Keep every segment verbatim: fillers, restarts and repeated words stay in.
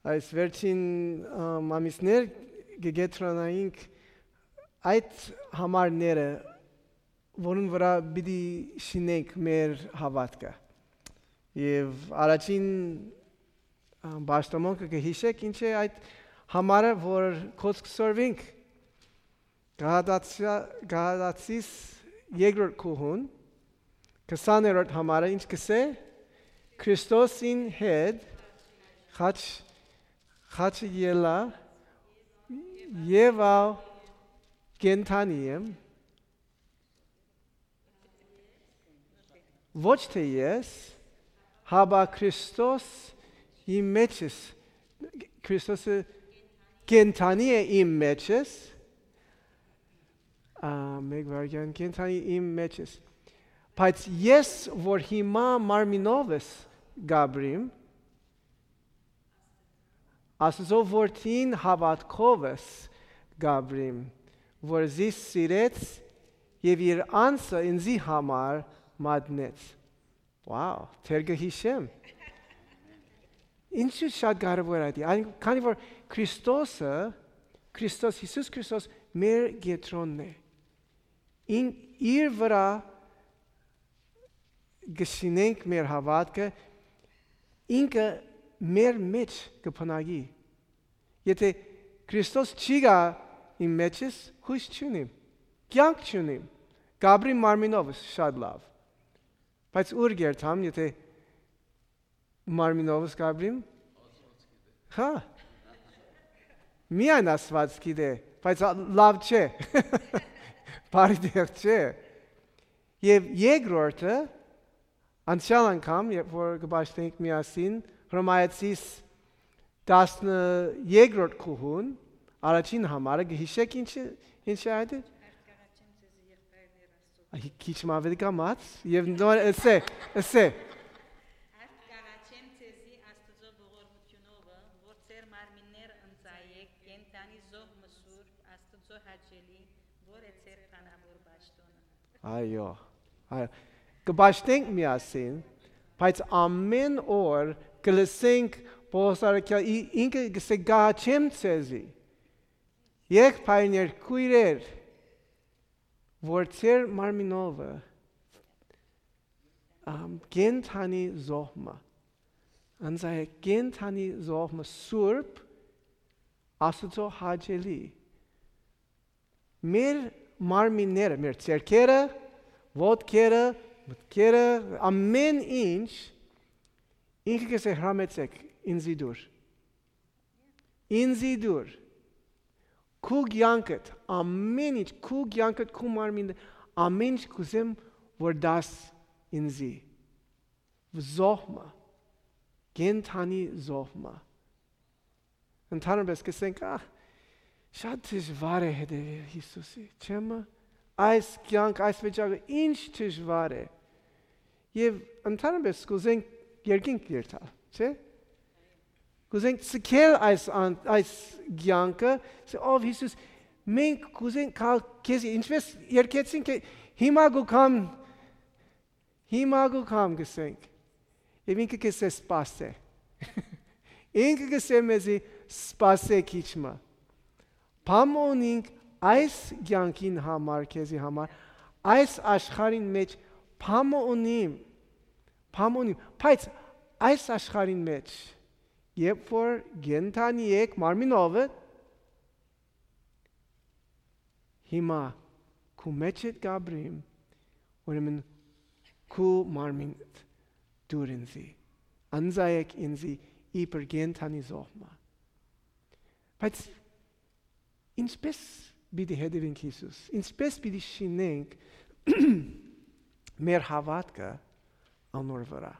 այս վերջին, ամ, ամիսներ կը կեդրանայինք այդ համարները, որուն վրայ պիտի շինենք մեր հաւատքը։ Եւ առաջին, ամ, պաշտամունքը կը յիշեք, ինչ է այդ համարը, որ կոչ կը սորվինք։ Գաղատացիա-, Գաղատացիս երկրորդ գլխուն, քսաներորդ համարը, ինչ կ'ըսէ, Քրիստոսին հետ խաչ, խաչը ելայ, եւ ա կենդանի եմ, ոչ թէ ես, հապա Քրիստոս իմ մեջս, Քրիստոսը կենդանի է իմ մեջս, ա, մեկ վայրկյան, կենդանի իմ մեջս, բայց ես, որ հիմա մարմինովս կ'ապրիմ, Աստուծոյ որդին հաւատքովս կ'ապրիմ, որ զիս սիրեց եւ իր անձը ինծի համար մատնեց։ Wow, դեռ կը յիշեմ։ Ինչու շատ կարեւոր է դա, այն, քանի որ Քրիստոսը, Քրիստոս, Յիսուս Քրիստոս մեր կեդրոնն է։ Ին-, իր վրայ կը շինենք մեր հաւատքը, ինքը մեր մէջ կը բնակի։ Եթէ Քրիստոս չի գայ իմ մեջս, յոյս չունիմ, կեանք չունիմ, կ'ապրիմ մարմինովս շատ լաւ, բայց ո՞ւր կ'երթամ, եթէ մարմինովս կ'ապրիմ։ Հա, միայն Աստուած գիտէ, բայց ա-, լաւ չէ, բարի տեղ չէ։ Եւ երկրորդը, անցեալ անգամ, երբ որ կը պաշտենք միասին, Հռոմայեցիս տասներկրորդ գլխուն, առաջին համարը, կը յիշեք ինչ է, ինչ է այդ։ Ա, քիչ մը աւելի կամաց, եւ նոր ըսէ, ըսէ։ Արդ կ'աղաչեմ ձեզի Աստուծոյ ողորմութիւնովը, որ ձեր մարմինները ընծայէք կենդանի զոհ մը սուրբ, Աստուծոյ հաճելի, որ է ձեր բանաւոր պաշտօնը։ Այո, այո, կը պաշտենք միասին, բայց ամէն օր կը լսենք Պողոս առաքյալ, ի-, ինքը կ'ըսէ. «Կ'աղաչեմ ձեզի, եղբայրներ, քոյրեր, որ ձեր մարմինովը, ամ, կենդանի զոհ մը, ընծայ կենդանի զոհ մը սուրբ, Աստուծոյ հաճելի»։ Մեր մարմինները, մեր ձեռքերը, ոտքերը, մտքերը, ամէն ինչ, ինքը կ'ըսէ. «Հրամեցէք, ինծի դուր։ Ինծի դուր։ Քու կեանքդ, ամէն ինչ, քու կեանքդ, քու մարմինը, ամէն ինչ կ'ուզեմ որ տաս ինծի»։ Զոհ մը, կենդանի զոհ մը։ Ընդհանրապես կ'ըսենք. «Ա, շատ դժուար է հետեւել Յիսուսի, չէ՞մ։ Այս կեանք, այս վիճակը ինչ դժուար է»։ Եւ ընդհանրապես կ'ուզենք երկինք երթալ, չէ՞։ Կ'ուզենք ցկել այս ան-, այս կեանքը, ասել. «Ով Յիսուս, մենք կ'ուզենք գալ քեզի, ինչպես երգեցինք, հիմա կու գամ, հիմա կու գամ», կ'ըսենք։ Եւ ինքը կ'ըսէ. «Սպասէ»։ Ինքը կ'ըսէ մեզի. «Սպասէ քիչ մը։ Բան մը ունինք այս կեանքին համար, քեզի համար, այս աշխարհին մէջ բան մը ունիմ, բան մը ունիմ, բայց այս աշխարհին մէջ, երբ որ կենդանի եք մարմինովը, հիմա քու մէջդ կ'ապրիմ, ուրեմն քու մարմինդ դուր ինծի, ընծայեք ինծի իբր կենդանի զոհ մը»։ Բայց ինչպե՞ս պիտի հետեւենք Յիսուս, ինչպե՞ս պիտի շինենք մեր հաւատքը անոր վրայ։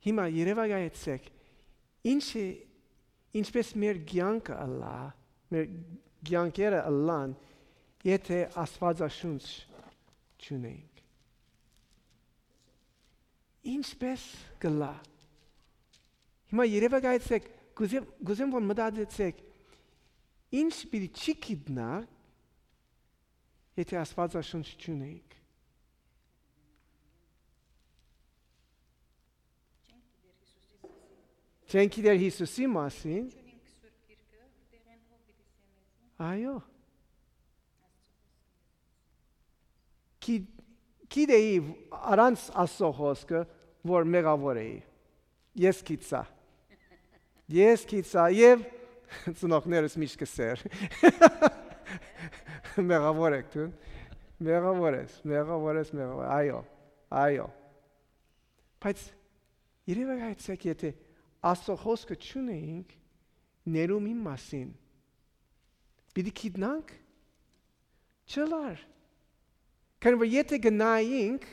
Հիմա երեւակայեցէք, ինչ է, ինչպէս մեր կեանքը ըլլայ, մեր կեանքերը ըլլան, եթէ Աստուածաշունչ չունենք։ Ինչպէս կ'ըլլայ։ Հիմա երեւակայեցէք, կ'ուզեմ, կ'ուզեմ որ մտածեցէք, ինչ պիտի չի գիտնա, եթէ Աստուածաշունչ չունենք։ Չեն գիտեր Յիսուսի մասին։ Այո։ Գի-, գիտէի առանց Աստծո խօսքը, որ մեղաւոր էի։ Ես գիտցայ։ Ես գիտցայ եւ ծնողներս միշտ կ'ըսէր. «Մեղաւոր եք դուն։ Մեղաւոր ես, մեղաւոր ես, մեղաւոր ես»։ Այո, այո։ Բայց երեւակայեցեք, եթե Աստծո խօսքը չունեինք, ներում իմ մասին, պիտի գիտնանք, չըլար։ Քանի որ եթե գնայինք,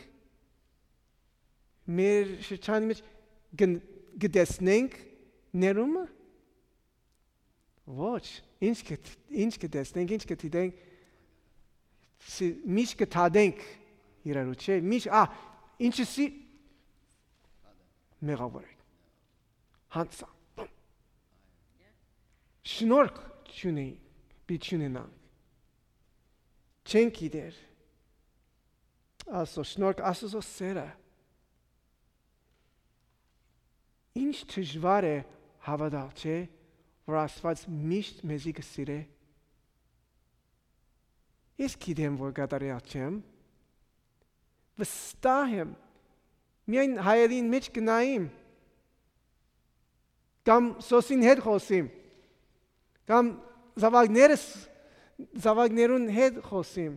մեր շրջանի մեջ կն-, կտեսնենք ներումը։ Ոչ, ինչ կը, ինչ կտեսնենք, ինչ կը դիտենք, սի-, միշտ կը դատենք իրարու, չէ՞։ Միշտ, ա, ինչը սի-, մեղաւոր եք, յանցան, շնորհք չունեին, պիտի չունենանք։ Չեն գիտեր Աստծո շնորհք, Աստծո սերը։ Ինչ դժուար է հաւատալ, չէ՞, որ Աստուած միշտ մեզի կը սիրէ։ Ես գիտեմ, որ կատարեալ չեմ, վստահ եմ, միայն հայելին մէջ կնայիմ, կամ սոսին հետ խօսիմ, կամ զաւակներս, զաւակներուն հետ խօսիմ,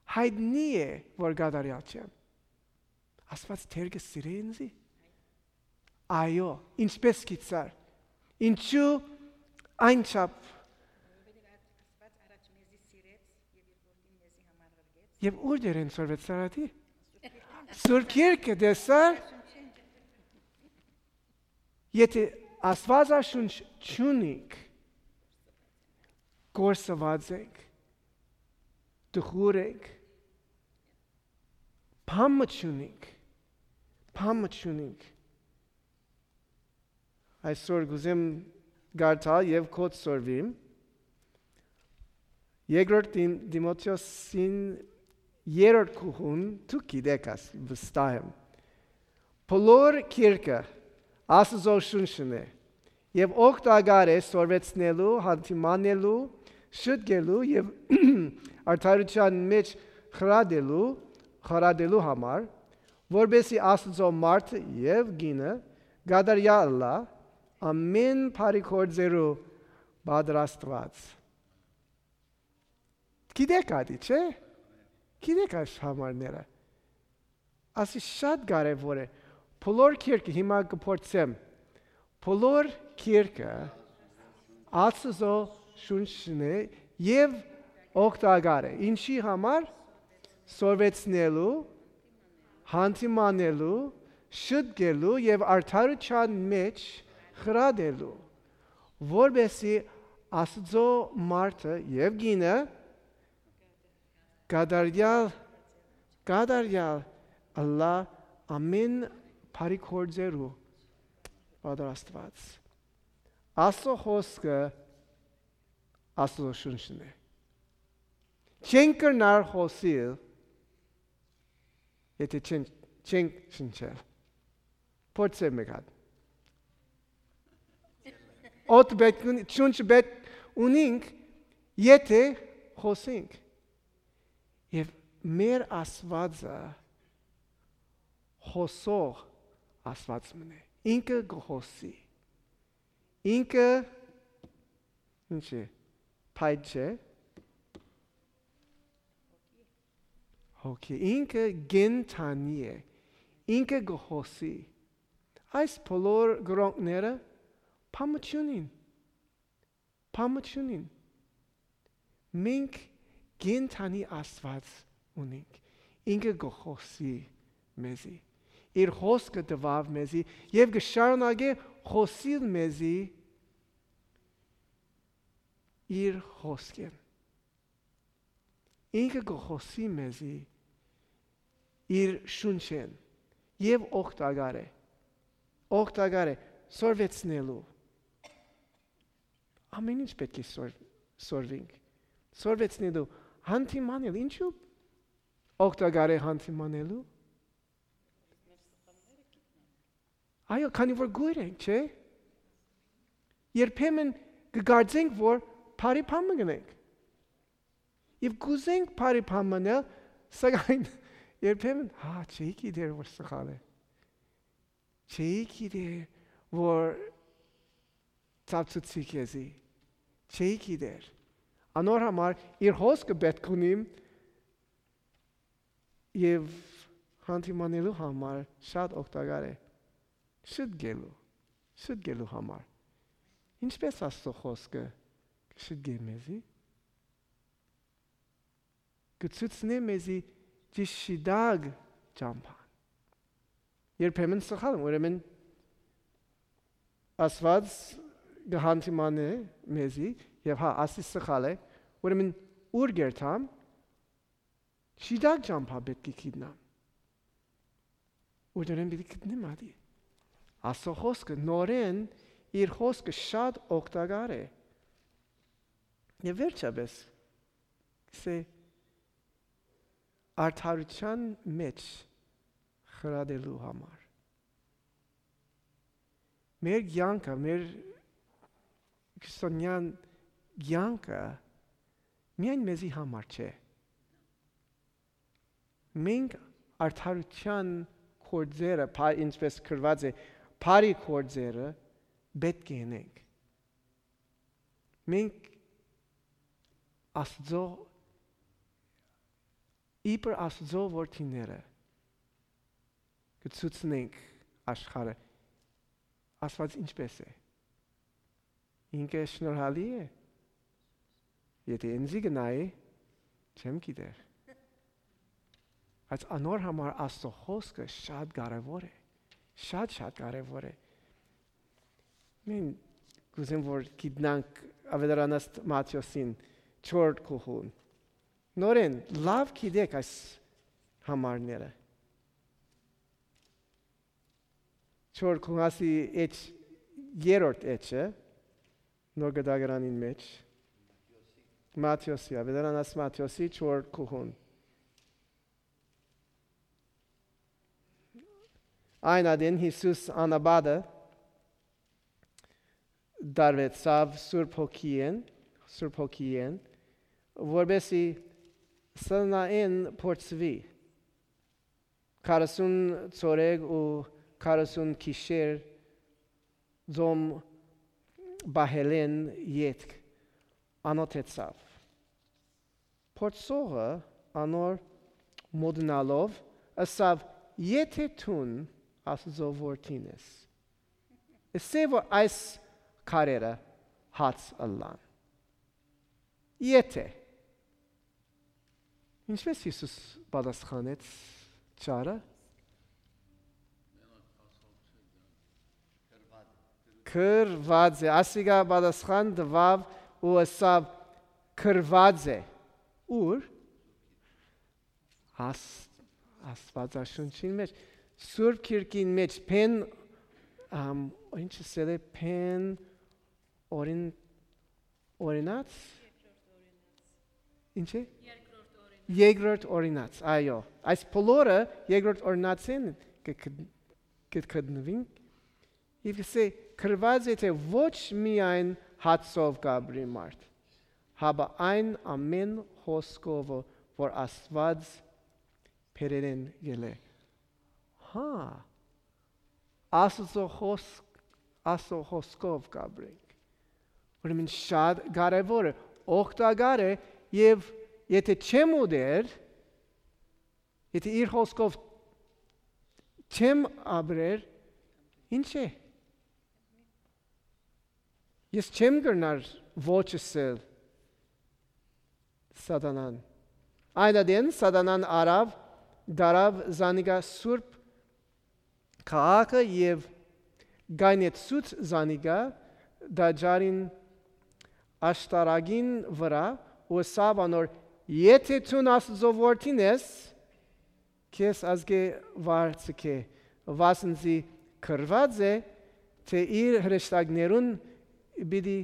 յայտնի է, որ կատարեալ չեմ։ Աստուած դեռ կը սիրէ ինձի։ Այո, ինչպես գիտցար։ Ինչու այնչափ։ Եւ ուր դերեն սորվեց Սարատի։ Սուրբ Երկը տեսար։ Եթե Աստուածաշունչ չունինք, կորսուած ենք, տխուր ենք, բան մը չունինք, բան մը չունինք։ Այսօր կ'ուզեմ կարդալ եւ քոչ սորվիմ։ Երկրորդ Տիմ-, Տիմոթեոսին երրորդ գլխուն, դուք գիտեք աս, վստահ եմ։ Բոլոր գիրքը Աստուծոյ շունչն է եւ օգտակար է սորվեցնելու, յանդիմանելու, շտկելու եւ արդարութեան մէջ խրատելու, խրատելու համար, որպեսզի Աստուծոյ մարդը եւ կինը կատարեալ ըլլայ, ամէն բարի գործերու պատրաստուած։ Գիտեք ատի, չէ՞։ Գիտեք այս համարները։ Ասի շատ կարեւոր է։ Բոլոր գիրքը, հիմա կը փորձեմ, բոլոր գիրքը Աստուծոյ շունչն է եւ օգտակար է։ Ինչի համար? Սորվեցնելու, յանդիմանելու, շտկելու եւ արդարութեան մէջ խրատելու, որպեսզի Աստուծոյ մարդը եւ կինը կատարեալ, կատարեալ ըլլայ, ամէն բարի գործերու պատրաստուած։ Աստուծոյ խօսքը Աստուծոյ շունչն է։ Չենք կրնար խօսիլ, եթե չեն, չենք շնչել։ Փորձեմ մէկ հատ։ Օդ պէտք ունի, շունչ պէտք ունինք, եթե խօսենք։ Եւ մեր Աստուածը խօսող Աստուած մըն է։ Ինքը կը խօսի։ Ինքը, ինչ է, փայտ չէ։ Հոգի։ Ինքը կենդանի է։ Ինքը կը խօսի։ Այս բոլոր գրողները բան մը չունին։ Բան մը չունին։ Մենք կենդանի Աստուած ունենք։ Ինքը կը խօսի մեզի։ Իր խօսքը տուաւ մեզի եւ կը շարունակէ խօսիլ մեզի իր խօսքէն։ Ինքը կը խօսի մեզի իր շունչէն եւ օգտակար է։ Օգտակար է սորվեցնելու։ Ամեն ինչ պէտք է սոր-, սորվինք։ Սորվեցնելու, հանդիմանել, ինչու՞ օգտակար է հանդիմանելու։ Այո, քանի որ կույր ենք, չէ՞։ Երբեմն կը կարծենք, որ բարի բան մը կ'ընենք։ Եւ կ'ուզենք բարի բան մը ընել, սակայն երբեմն, հա, չէի գիտեր, որ սխալ է։ Չէի գիտեր, որ ծափցուցի քեզի։ Չէի գիտեր։ Անոր համար իր հոսքը պէտք ունիմ եւ հանդիմանելու համար շատ օգտակար է։ Շտկելու, շտկելու համար։ Ինչպէս Աստուծոյ խօսքը կը շտկէ մեզի, կը ցուցնէ մեզի ճիշտ շիտակ ճամբան։ Երբեմն սխալ եմ, ուրեմն Աստուած կը հանդիմանէ մեզի, եւ հա, ասի սխալ է, ուրեմն ո՞ւր կ'երթամ, շիտակ ճամբայ պէտք է գիտնամ։ Ուրդերէն պիտի գտնեմ ատի։ Աստուծոյ խօսքը նորէն, իր խօսքը շատ օգտակար է։ Եւ վերջապէս, սէ արդարութեան մէջ խրատելու համար։ Մեր կեանքը, մեր քրիստոնեան կեանքը միայն մեզի համար չէ։ Մենք արդարութեան գործերը, փա-, ինչպես գրուած է, բարի գործերը պէտք է ընենք։ Մենք Աստուծոյ, իբր Աստուծոյ որդիները կը ցուցնենք աշխարհը Աստուած ինչպէս է։ Ինքը շնորհալի է։ Եթէ ինծի կը նայի, չեմ գիտեր։ Բայց անոր համար Աստուծոյ խօսքը շատ կարեւոր է։ Շատ, շատ կարեւոր է։ Մենք կ'ուզեմ, որ գիտնանք Աւետարանաստ Մատթէոսին չորրորդ գլխուն։ Նորէն, լաւ գիտեք այս համարները։ Չորրորդ գլխի էջ, երրորդ էջը, Նոր Կտակարանին մէջ։ Մատթէոսի, Աւետարանաստ Մատթէոսի չորրորդ գլխուն։ Այն ատեն Յիսուս անապատը տարուեցաւ Սուրբ Հոգիէն, Սուրբ Հոգիէն, որպէսզի սնանայեն փորձուի, քառասուն ցորեկ ու քառասուն գիշեր ծոմ պահելէն ետք անօթեցաւ։ Փորձողը անոր մօտենալով ըսաւ. «Եթէ դուն Աստուծոյ որդին ես, ըսէ որ այս քարերը հաց ըլլան»։ Եթէ։ Ինչպէս Յիսուս պատասխանեց ճարը։ Գրուած է։ Ասիկա պատասխան տուաւ ու ըսաւ. «Գրուած է»։ Ո՞ւր։ Աս-, Աստուածաշունչին մէջ, Սուրբ Գիրքին մէջ, Բեն, ամ, ինչ ըսել է, Բեն օրին-, օրինաց։ Ինչ է։ Երկրորդ օրինաց, այո։ Այս բոլորը երկրորդ օրինացին կը գտ-, կը գտնուին։ Եւ կ'ըսէ. «Գրուած է, թէ ոչ միայն հացով կ'ապրի մարդ, հապա այն ամէն խօսքով, որ Աստուած բերելէն ելէ»։ Հա, Աստուծոյ խօսք, Աստուծոյ խօսքով կ'ապրենք։ Ուրեմն շատ կարեւոր է, օգտակար է, եւ եթէ չեմ ուտեր, եթէ իր խօսքով չեմ ապրեր, ինչ է։ Ես չեմ կրնար ոչ ըսել սատանան։ Այն ատեն սատանան առաւ, դարաւ զանիկա սուրբ քաղաքը եւ գայնեցուց զանիկա տաճարին աշտարակին վրայ ու ըսաւ անոր. «Եթէ դուն Աստուծոյ որդին ես, քեզ ազգէ վար ձգէ, վասն զի գրուած է, թէ իր հրեշտակներուն պիտի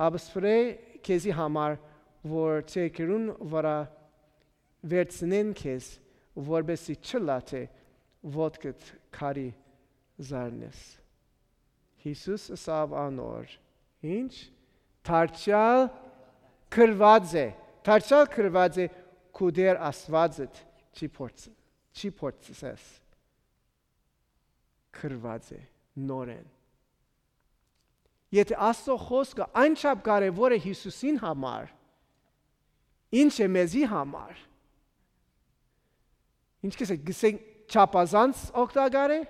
ապսպրէ քեզի համար, որ ձեռքերուն վրայ վերցնեն քեզ, որպեսզի չըլլայ թէ ոտքդ քարի զարնես»։ Յիսուս ըսաւ անոր. Ինչ? Դարձեալ գրուած է։ Դարձեալ գրուած է, քու Տէր Աստուածդ չի փորձ-, չի փորձես։ Գրուած է նորէն։ Եթէ Աստուծոյ խօսքը այնչափ կարեւոր է Յիսուսին համար, ի՞նչ է մեզի համար։ Ինչ կ'ըսէք, կ'ըսէք չափազանց օգտակար է։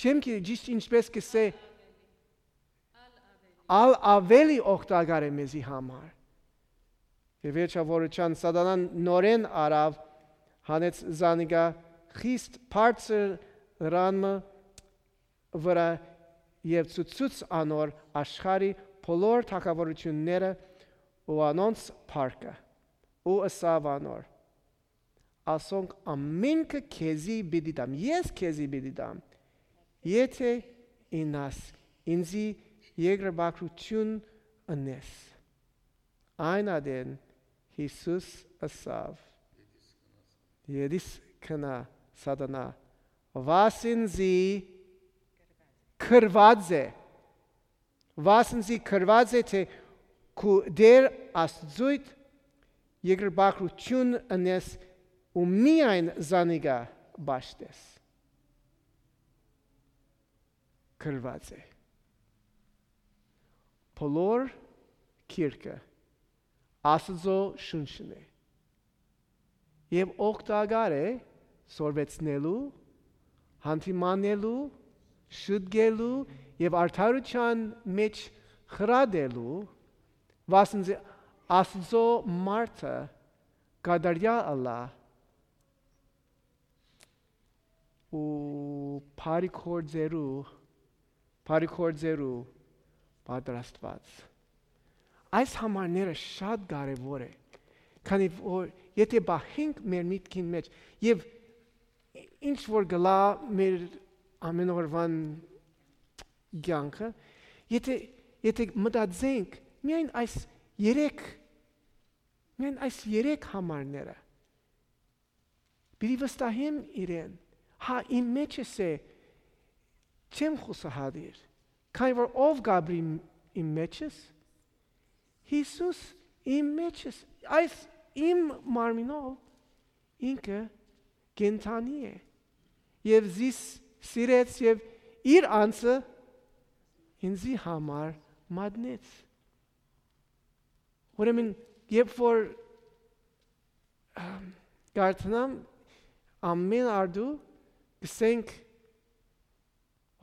Չեմ գիտեր ճիշդ ինչպէս կ'ըսէ, ալ ավելի օգտակար է մեզի համար։ Եւ վերջաւորութեան Սատանան նորէն առաւ, հանեց զանիկա խիստ բարձր ռան մը վրայ եւ ցուցուց անոր աշխարհի բոլոր թագաւորութիւնները ու անոնց փառքը, ու ըսաւ անոր. «Ասոնք ամինքը քեզի պիտի տամ, ես քեզի պիտի տամ, եթէ ինաս ինծի երկրպագութիւն ընես»։ Այն ատեն Յիսուս ըսաւ. «Ետիս գնա, Սատանա, վասն զի գրուած է, վասն զի գրուած է, թէ քու Տէր Աստուծոյդ երկրպագութիւն ընես ու միայն զանիկա պաշտես»։ Գրուած է։ Բոլոր գիրքը Աստուծոյ շունչն է եւ օգտակար է սորվեցնելու, հանդիմանելու, շտկելու եւ արդարութեան մէջ խրատելու, վասն զի Աստուծոյ մարդը կատարեալ ըլլայ ու բարի գործերու, բարի գործերու պատրաստուած։ Այս համարները շատ կարեւոր է, քանի որ եթէ պահենք մեր միտքին մէջ, եւ ինչ որ կ'ըլլայ մեր ամեն օրուան կեանքը, եթէ, եթէ մտածենք միայն այս երեք, միայն այս երեք համարները, պիտի վստահեմ իրեն։ Հա, իմ մէջս է, չեմ խուսափուիր, քանի որ ով կ'ապրի իմ, իմ մէջս, Յիսուս իմ մէջս, այս իմ մարմինով ինքը կենդանի է եւ զիս սիրեց եւ իր անձը ինծի համար մատնեց։ Ուրեմն, երբ որ, ըմ, կարդանամ, ամեն արտու կ'ըսենք,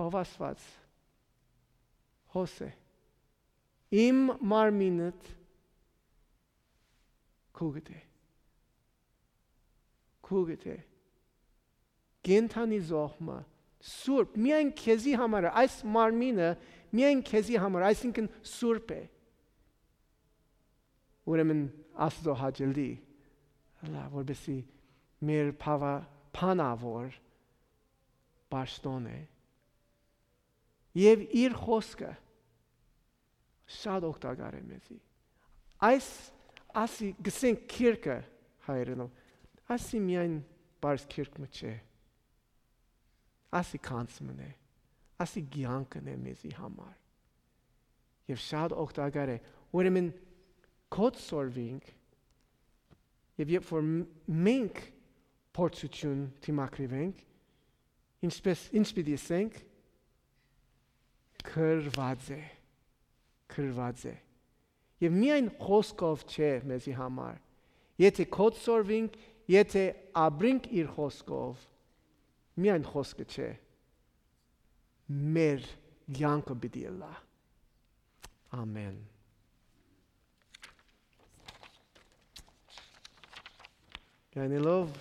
ով Աստուած, հոս է, իմ մարմինդ քուկդ է, քուկդ է, կենդանի զոհ մը, սուրբ, միայն քեզի համար է, այս մարմինը միայն քեզի համար, այսինքն սուրբ է։ Ուրեմն Աստուծոյ հաճելի ըլլայ, որպեսզի մեր բավա-, բանաւոր պաշտօն է եւ իր խօսքը շատ օգտակար է մեզի։ Այս, ասի, գսենք, գիրքը հայերէնով, ասի միայն պարզ գիրք մը չէ, ասի գանձ մն է, ասի կեանքն է մեզի համար եւ շատ օգտակար է։ Ուրեմն կոչ սորվինք եւ երբ որ մ-, մենք փորձութիւն դիմագրիվենք, ինչպես, ինչ պիտի ասենք, գրուած է, գրուած է։ Եւ միայն խօսքով չէ մեզի համար, եթէ կոչ սորվինք, եթէ ապրինք իր խօսքով, միայն խօսքը չէ, մեր կեանքը պիտի ըլլայ։ Ամեն։ Գանելով